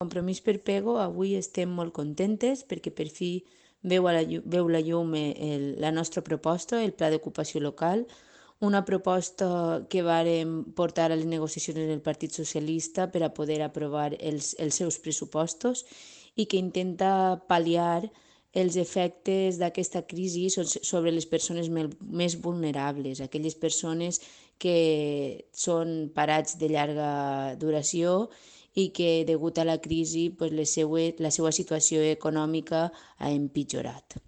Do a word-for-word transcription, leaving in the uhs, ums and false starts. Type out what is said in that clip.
Compromís per Pego avui estem molt contentes perquè per fi veu, a la, llu- veu la llum eh, el, la nostra proposta, el Pla d'Ocupació Local, una proposta que vàrem portar a les negociacions del Partit Socialista per a poder aprovar els, els seus pressupostos i que intenta pal·liar els efectes d'aquesta crisi so- sobre les persones mel- més vulnerables, aquelles persones que són parats de llarga duració i que, degut a la crisi, pues, les seues, la seva situació econòmica ha empitjorat.